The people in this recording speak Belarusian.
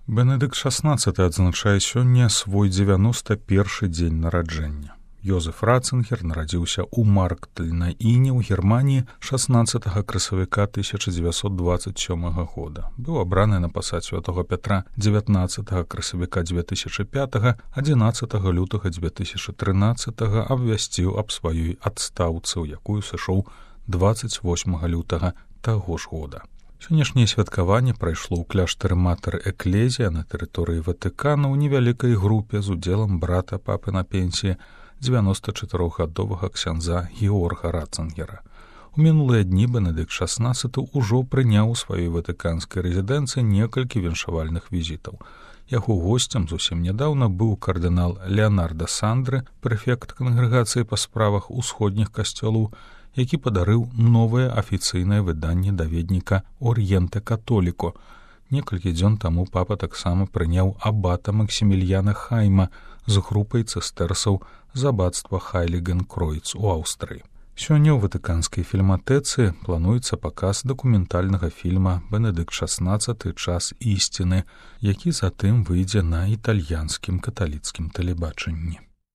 Бенедыкт XVI адзначае сёння свой 91 дзень нараджэння. Йозеф Ратцингер нарадзіўся ў Марктель на Іне ў Германіі 16 красавіка 1927 года. Быў абраны на пасад святого Пятра 19 красавіка 2005, 11 лютага 2013 абвясціў аб сваёй адстаўцы, у якую сышоў 28 лютага таго ж года. Сённяшняе святкаванне прайшло ў кляштары Матэр Эклезія на тэрыторыі Ватыкана ў невялікай групе з удзелам брата папы на пенсіі 94-гадовага ксяндза Георга Ратцингера. У мінулыя дні Бенедыкт XVI ўжо прыняў у сваёй ватыканскай рэзідэнцыі некалькі віншавальных візітаў. Яго госцем зусім нядаўна быў кардынал Леонардо Сандры, прэфект кангрэгацыі па справах усходніх касцёлаў, які падарыў новае афіцыйнае выданне даведніка «Орієнте Католіко». Некалькі дзён таму папа таксама прыняў абата Максімільяна Хайма з групай цыстэрсаў з абацтва Хайліген-Кройц у Аўстрыі. Сёння ў ватыканскай фільматэцы плануецца паказ дакументальнага фільма «Бенедыкт XVI. Час ісціны», які затым выйдзе на італьянскім каталіцкім тэлебачанні.